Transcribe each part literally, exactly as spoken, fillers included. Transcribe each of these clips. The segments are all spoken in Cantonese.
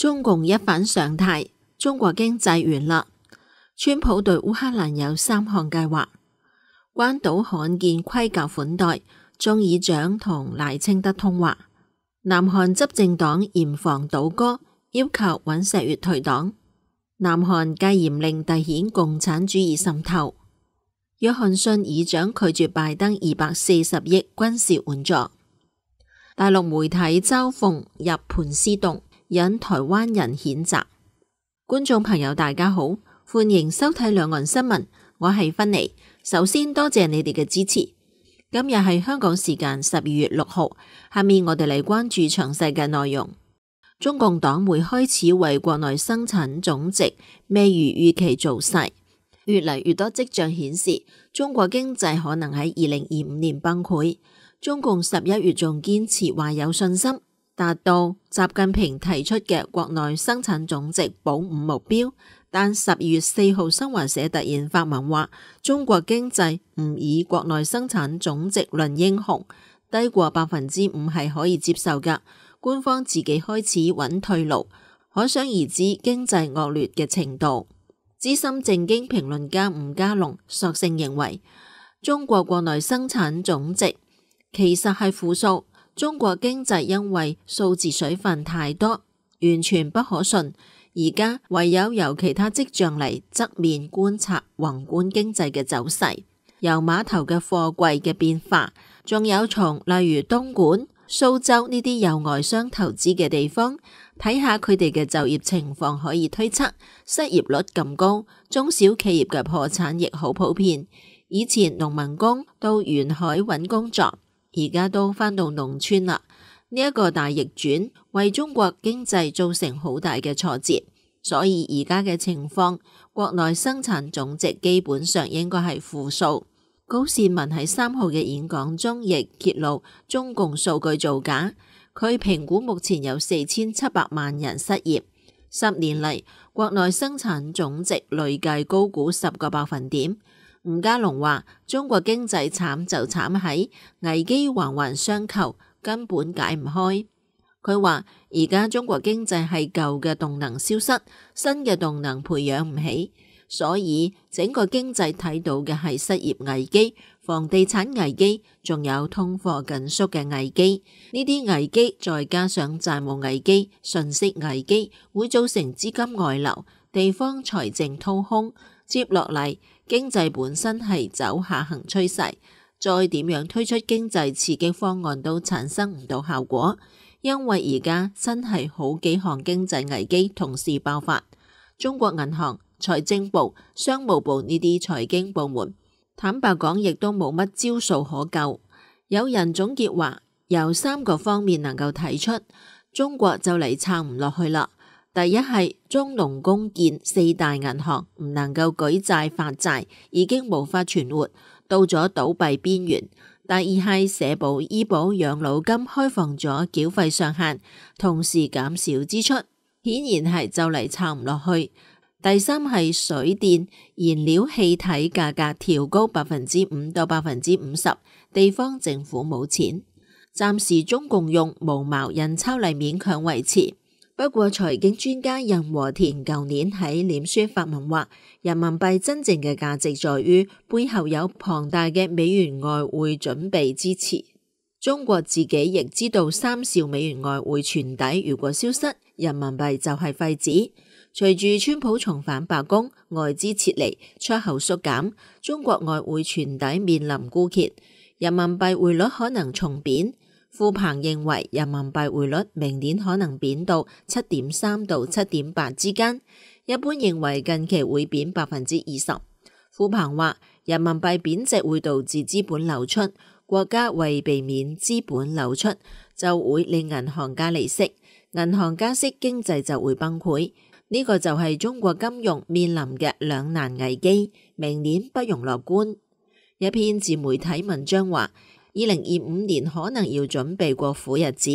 中共一反常態，中國經濟完啦。川普對烏克蘭有三項計劃。關島罕見盔甲款待，眾議長同賴清德通話。南韓執政黨嚴防倒戈，要求尹錫悅退黨。南韓戒嚴令凸顯共產主義滲透。約翰遜議長拒絕拜登二百四十億軍事援助。大陸媒體嘲諷入盤絲洞，引台灣人譴責。觀眾朋友大家好，歡迎收睇兩岸新聞，我係芬妮。首先多謝你哋嘅支持。今日係香港時間十二月六號，下面我哋嚟關注詳細嘅內容。中共黨會開始為國內生產總值未如預期造勢，越嚟越多跡象顯示中國經濟可能喺二零二五年崩潰。中共十一月仲堅持話有信心達到習近平提出嘅國內生產總值保五目標，但十二月四號新華社突然發文話中國經濟唔以國內生產總值論英雄，低過百分之五係可以接受㗎。官方自己開始揾退路，可想而知經濟惡劣嘅程度。資深政經評論家吳家龍索性認為，中國國內生產總值其實係負數，中國經濟因為數字水分太多，完全不可信。而家唯有由其他跡象嚟側面觀察宏觀經濟嘅走勢，由碼頭嘅貨櫃嘅變化，仲有從例如東莞、蘇州呢啲有外商投資嘅地方睇下佢哋嘅就業情況，可以推測失業率咁高，中小企業嘅破產亦好普遍。以前農民工到沿海揾工作，而家都返到農村啦。呢一個大逆轉為中國經濟造成好大嘅挫折，所以而家嘅情況，國內生產總值基本上應該係負數。高士文喺三號嘅演講中亦揭露中共數據造假，佢評估目前有四千七百萬人失業，十年嚟國內生產總值累計高估十個百分點。吳家龍話：中國經濟慘就慘喺危機環環相扣，根本解唔開。佢話而家中國經濟係舊嘅動能消失，新嘅動能培養唔起，所以整個經濟睇到嘅係失業危機、房地產危機，仲有通貨緊縮嘅危機。呢啲危機再加上債務危機、信息危機，會造成資金外流、地方財政掏空。接落嚟經濟本身係走下行趨勢，再點樣推出經濟刺激方案都產生唔到效果，因為而家真係好幾項經濟危機同時爆發。中國銀行、財政部、商務部呢啲財經部門，坦白講亦都冇乜招數可救。有人總結話，由三個方面能夠睇出，中國就嚟撐唔落去啦。第一係中農工建四大銀行唔能夠舉債發債，已經無法存活，到咗倒閉邊緣。第二係社保、醫保、養老金開放咗繳費上限，同時減少支出，顯然係就嚟撐唔落去。第三係水電、燃料氣體價格調高百分之五到百分之五十，地方政府冇錢，暫時中共用無毛印鈔嚟勉強維持。不過財經專家任和田舊年喺臉書發文話，人民幣真正嘅價值在於背後有龐大嘅美元外匯準備支持。中國自己亦知道三兆美元外匯存底如果消失，人民幣就係廢紙。隨住川普重返白宮，外資撤離，出口縮減，中國外匯存底面臨枯竭，人民幣匯率可能重貶。傅鵬認為人民幣匯率明年可能貶到七點三到七點八之間，一般認為近期會貶百分之二十。傅鵬話人民幣貶值會導致資本流出，國家為避免資本流出，就會令銀行加利息，銀行加息經濟就會崩潰。呢個就係中國金融面臨嘅兩難危機，明年不容樂觀。一篇自媒體文章話，二零二五年可能要準備過苦日子。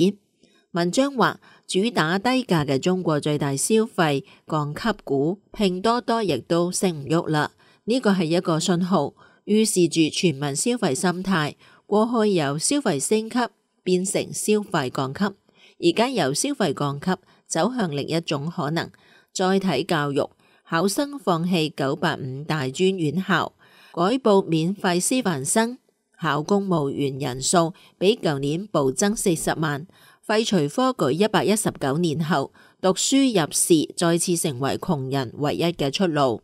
文章話，主打低價嘅中國最大消費降級股拼多多亦都升唔喐啦。呢個係一個信號，預示住全民消費心態過去由消費升級變成消費降級，而家由消費降級走向另一種可能，載體教育，考生放棄九八五大專院校，改報免費師範生，考公務員人數比舊年暴增四十萬，廢除科舉一百一十九年後，讀書入仕再次成為窮人唯一嘅出路。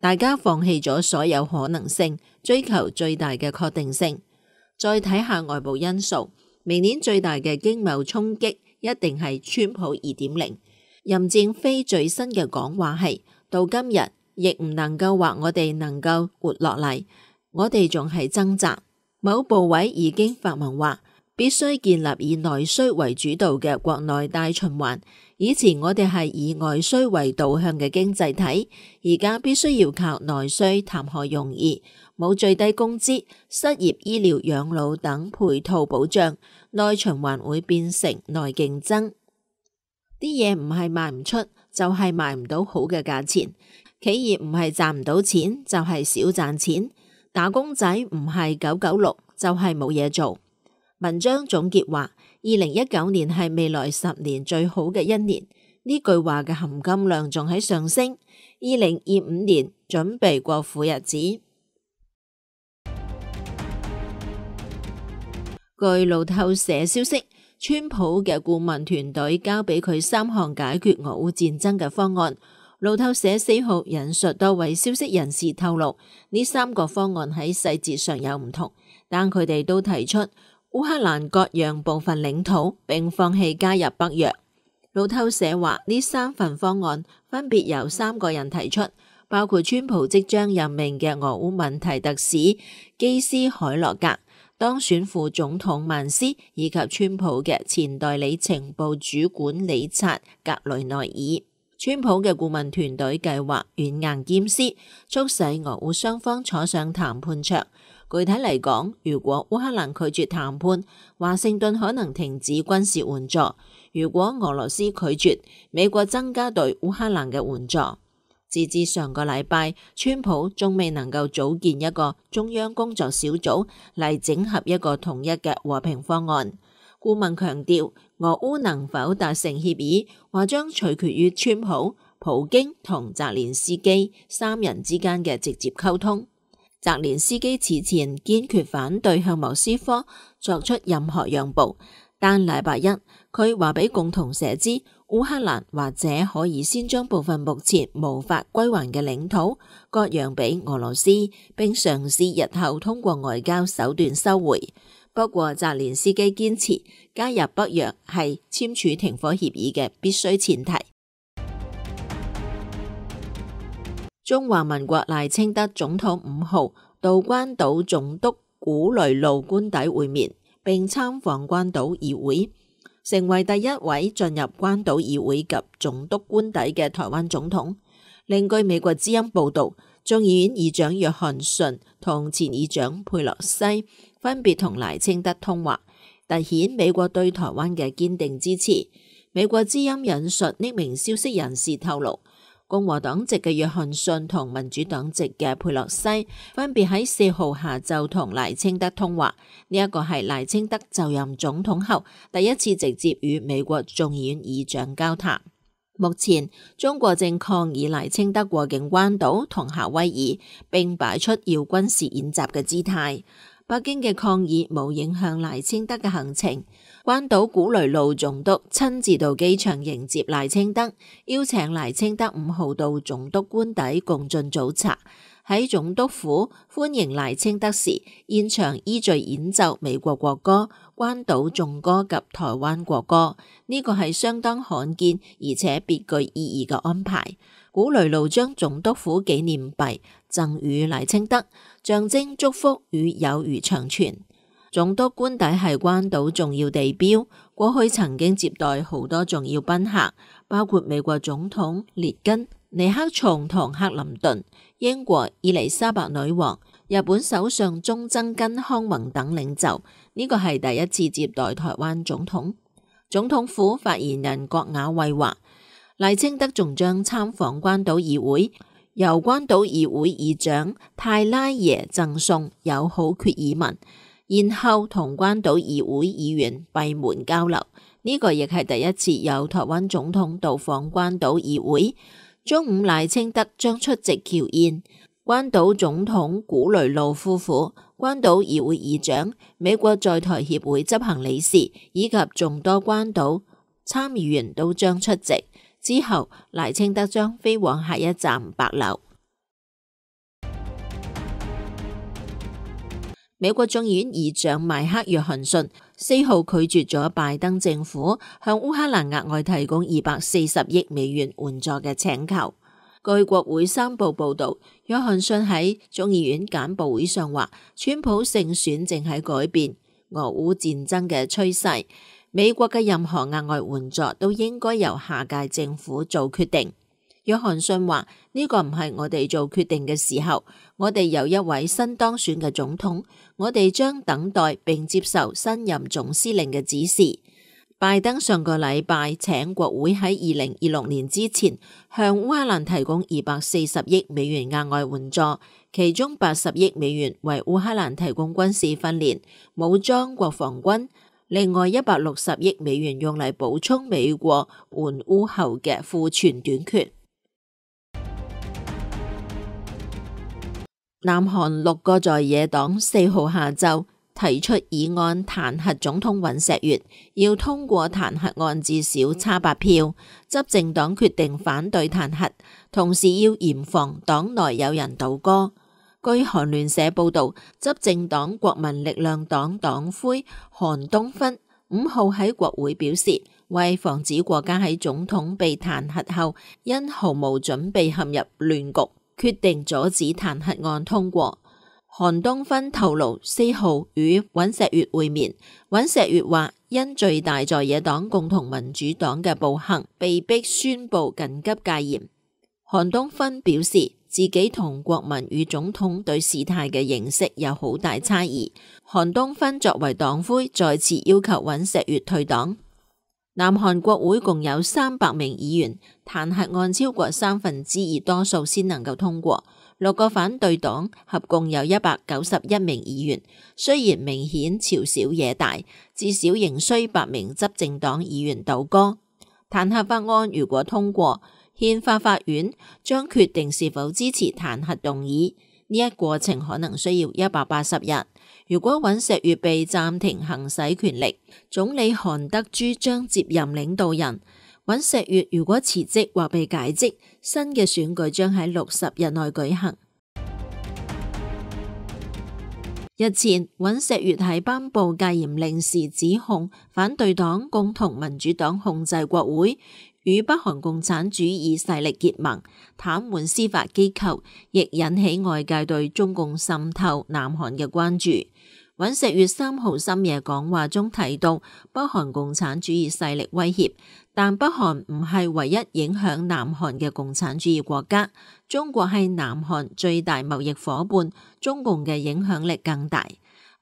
大家放棄咗所有可能性，追求最大嘅確定性。再睇下外部因素，明年最大嘅經貿衝擊一定係川普二點零。任正非最新嘅講話係：到今日亦唔能夠話我哋能夠活落嚟，我哋仲係掙扎。某部委已經發文話，必須建立以內需為主導嘅國內大循環。以前我哋係以外需為導向嘅經濟體，而家必須要靠內需談何容易？冇最低工資、失業、醫療、養老等配套保障，內循環會變成內競爭。啲嘢唔係賣唔出，就係賣唔到好嘅價錢。企業唔係賺唔到錢，就係少賺錢。打工仔唔係九九六，就係冇嘢做。文章總結話，二零一九年係未來十年最好嘅一年。呢句話嘅含金量仲喺上升。二零二五年準備過苦日子。據路透社消息，川普嘅顧問團隊交俾佢三項解決俄烏戰爭嘅方案。路透社四號引述多位消息人士透露，呢三個方案喺細節上有唔同，但佢哋都提出烏克蘭割讓部分領土，並放棄加入北約。路透社話，呢三份方案分別由三個人提出，包括川普即將任命嘅俄烏問題特使基斯海洛格、當選副總統曼斯以及川普嘅前代理情報主管理察格雷內爾。川普嘅顧問團隊計劃軟硬兼施，促使俄烏雙方坐上談判桌。具體嚟講，如果烏克蘭拒絕談判，華盛頓可能停止軍事援助；如果俄羅斯拒絕，美國增加對烏克蘭嘅援助。截至上個禮拜，川普仲未能夠組建一個中央工作小組嚟整合一個統一嘅和平方案。顧問強調，俄烏能否達成協議，或將取決於川普、普京同澤連斯基三人之間嘅直接溝通。澤連斯基此前堅決反對向莫斯科作出任何讓步，但禮拜一佢話俾共同社知，烏克蘭或者可以先將部分目前無法歸還嘅領土割讓俾俄羅斯，並嘗試日後通過外交手段收回。不過澤連斯基堅持加入北約係簽署停火協議嘅必須前提。中華民國賴清德總統五號到關島總督古雷路官邸會面，並參訪關島議會，成為第一位進入關島議會及總督官邸嘅台灣總統。另據美國之音報道，眾議院議長約翰遜同前議長佩洛西分別同賴清德通話，凸顯美國對台灣嘅堅定支持。美國之音引述匿名消息人士透露，共和黨籍嘅約翰遜同民主黨籍嘅佩洛西分別喺四號下晝同賴清德通話，呢一個係賴清德就任總統後第一次直接與美國眾議院議長交談。目前中國正抗議賴清德過境關島同夏威夷，並擺出要軍事演習嘅姿態。北京嘅抗議冇影響賴清德嘅行程。關島古雷路總督親自到機場迎接賴清德，邀請賴清德五號到總督官邸共進早茶。喺總督府歡迎賴清德時，現場依序演奏美國國歌、關島頌歌及台灣國歌，呢個係相當罕見而且別具意義嘅安排。古雷路將總督府紀念幣贈予賴清德，象徵祝福與友誼長存。總督官邸係關島重要地標，過去曾經接待好多重要賓客，包括美國總統列根、尼克松同克林頓、英國伊麗莎白女王、日本首相中曾根康弘等領袖。呢個係第一次接待台灣總統。總統府發言人郭雅慧話，賴清德仲將參訪關島議會，由關島議會議長泰拉耶贈送友好決議文。然後同關島議會議員閉門交流。呢個亦係第一次有台灣總統到訪關島議會。中午賴清德將出席僑宴，關島總統古雷路夫婦、關島議會議長、美國在台協會執行理事以及眾多關島參議員都將出席。之後，賴清德將飛往下一站帛琉。美國眾議院議長邁克約翰遜四號拒絕咗拜登政府向烏克蘭額外提供二百四十億美元援助嘅請求。據國會三報報道，約翰遜喺眾議院簡報會上話，川普勝選正喺改變俄烏戰爭嘅趨勢，美國嘅任何額外援助都應該由下屆政府做決定。約翰遜話，呢個唔係我哋做決定嘅時候，我哋有一位新當選嘅總統，我哋將等待並接受新任總司令嘅指示。拜登上個禮拜請國會喺二零二六年之前向烏克蘭提供二百四十億美元額外援助，其中八十億美元為烏克蘭提供軍事訓練、武裝國防軍，另外一百六十億美元用嚟補充美國援烏後嘅庫存短缺。南韓六個在野黨四號下晝提出議案彈劾總統尹錫悅，要通過彈劾案至少差八票。執政黨決定反對彈劾，同時要嚴防黨內有人倒戈。據韓聯社報道，執政黨國民力量黨黨魁韓東勳五號喺國會表示，為防止國家喺總統被彈劾後因毫無準備陷入亂局，決定阻止彈劾案通過。韓東勳透露，四號與尹錫悅會面，尹錫悅話因最大在野黨共同民主黨嘅暴行，被迫宣布緊急戒嚴。韓東勳表示，自己同國民與總統對事態嘅認識有好大差異。韓東勳作為黨魁，再次要求尹錫悅退黨。南韓國會共有三百名議員，彈劾案超過三分之二多數先能夠通過。六個反對黨合共有一百九十一名議員，雖然明顯朝小野大，至少仍需八名執政黨議員倒戈。彈劾法案如果通過，憲法法院將決定是否支持彈劾動議，呢一過程可能需要一百八十日。如果尹錫悅被暫停行使權力，總理韓德洙將接任領導人。尹錫悅如果辭職或被解職，新嘅選舉將喺六十日內舉行。日前，尹錫悅喺頒布戒嚴令時指控反對黨共同民主黨控制國會，與北韓共產主義勢力結盟，癱瘓司法機構，亦引起外界對中共滲透南韓嘅關注。尹錫悅三號深夜講話中提到，北韓共產主義勢力威脅，但北韓唔係唯一影響南韓嘅共產主義國家，中國係南韓最大貿易夥伴，中共嘅影響力更大。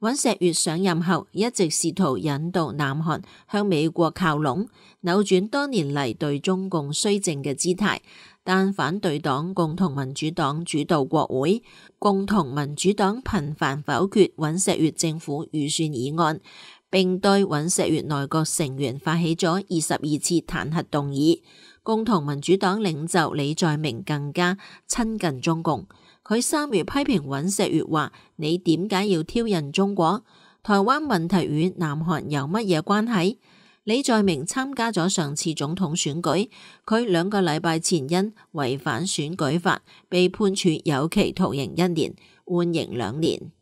尹錫悅上任後一直試圖引導南韓向美國靠攏，扭轉多年嚟對中共綏靖嘅姿態。但反對黨共同民主黨主導國會，共同民主黨頻繁否決尹錫悅政府預算議案，並對尹錫悅內閣成員發起咗二十二次彈劾動議。共同民主黨領袖李在明更加親近中共，佢三月批評尹錫悅話：你點解要挑釁中國？台灣問題與南韓有乜嘢關係？李在明參加咗上次總統選舉，佢兩個禮拜前因違反選舉法被判處有期徒刑一年，緩刑兩年。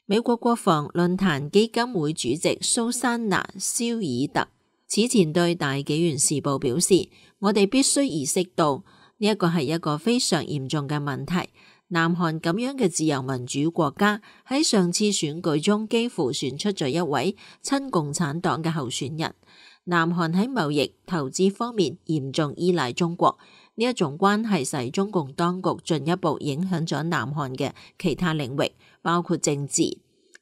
美國國防論壇基金會主席蘇珊娜·肖爾特此前對大紀元時報表示：我哋必須意識到呢一個係一個非常嚴重嘅問題。南韓咁樣嘅自由民主國家喺上次選舉中幾乎選出咗一位親共產黨嘅候選人。南韓喺貿易、投資方面嚴重依賴中國，呢一種關係使中共當局進一步影響咗南韓嘅其他領域，包括政治。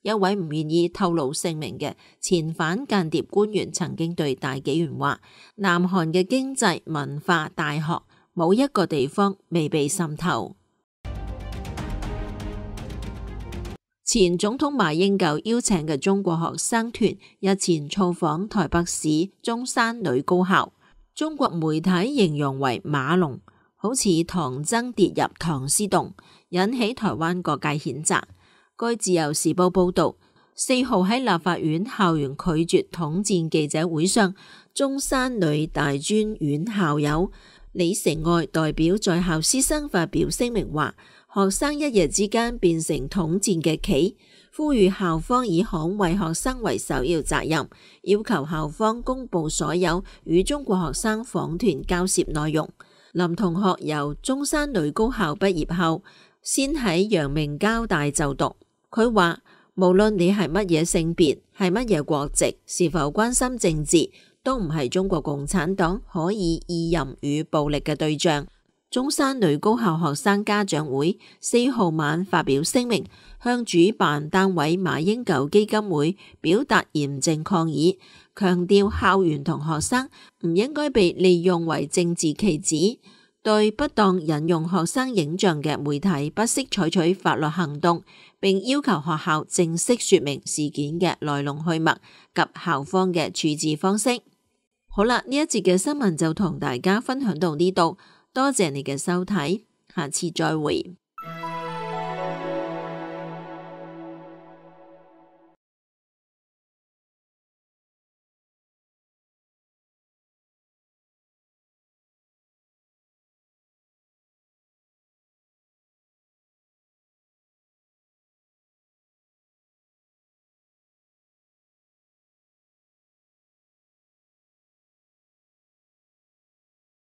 一位唔願意透露姓名嘅前反間諜官員曾經對大紀元話：南韓嘅經濟、文化、大學冇一個地方未被滲透。前總統馬英九邀請嘅中國學生團日前造訪台北市中山女高校，中國媒體形容為馬龍，好似唐僧跌入唐詩洞，引起台灣各界譴責。據自由時報報道，四號喺立法院校園拒絕統戰記者會上，中山女大專院校友李成愛代表在校師生發表聲明話，學生一夜之間變成統戰嘅棋，呼籲校方以捍衛學生為首要責任，要求校方公布所有與中國學生訪團交涉內容。林同學由中山女高校畢業後，先喺陽明交大就讀。佢話，無論你係乜嘢性別，係乜嘢國籍，是否關心政治，都唔係中國共產黨可以意淫與暴力嘅對象。中山女高校學生家長會四號晚發表聲明，向主辦單位馬英九基金會表達嚴正抗議，強調校園同學生唔應該被利用為政治棋子，對不當引用學生影像嘅媒體不惜採取法律行動，並要求學校正式說明事件嘅來龍去脈及校方嘅處置方式。好啦，呢一節嘅新聞就同大家分享到呢度。多謝你嘅收睇，下次再會。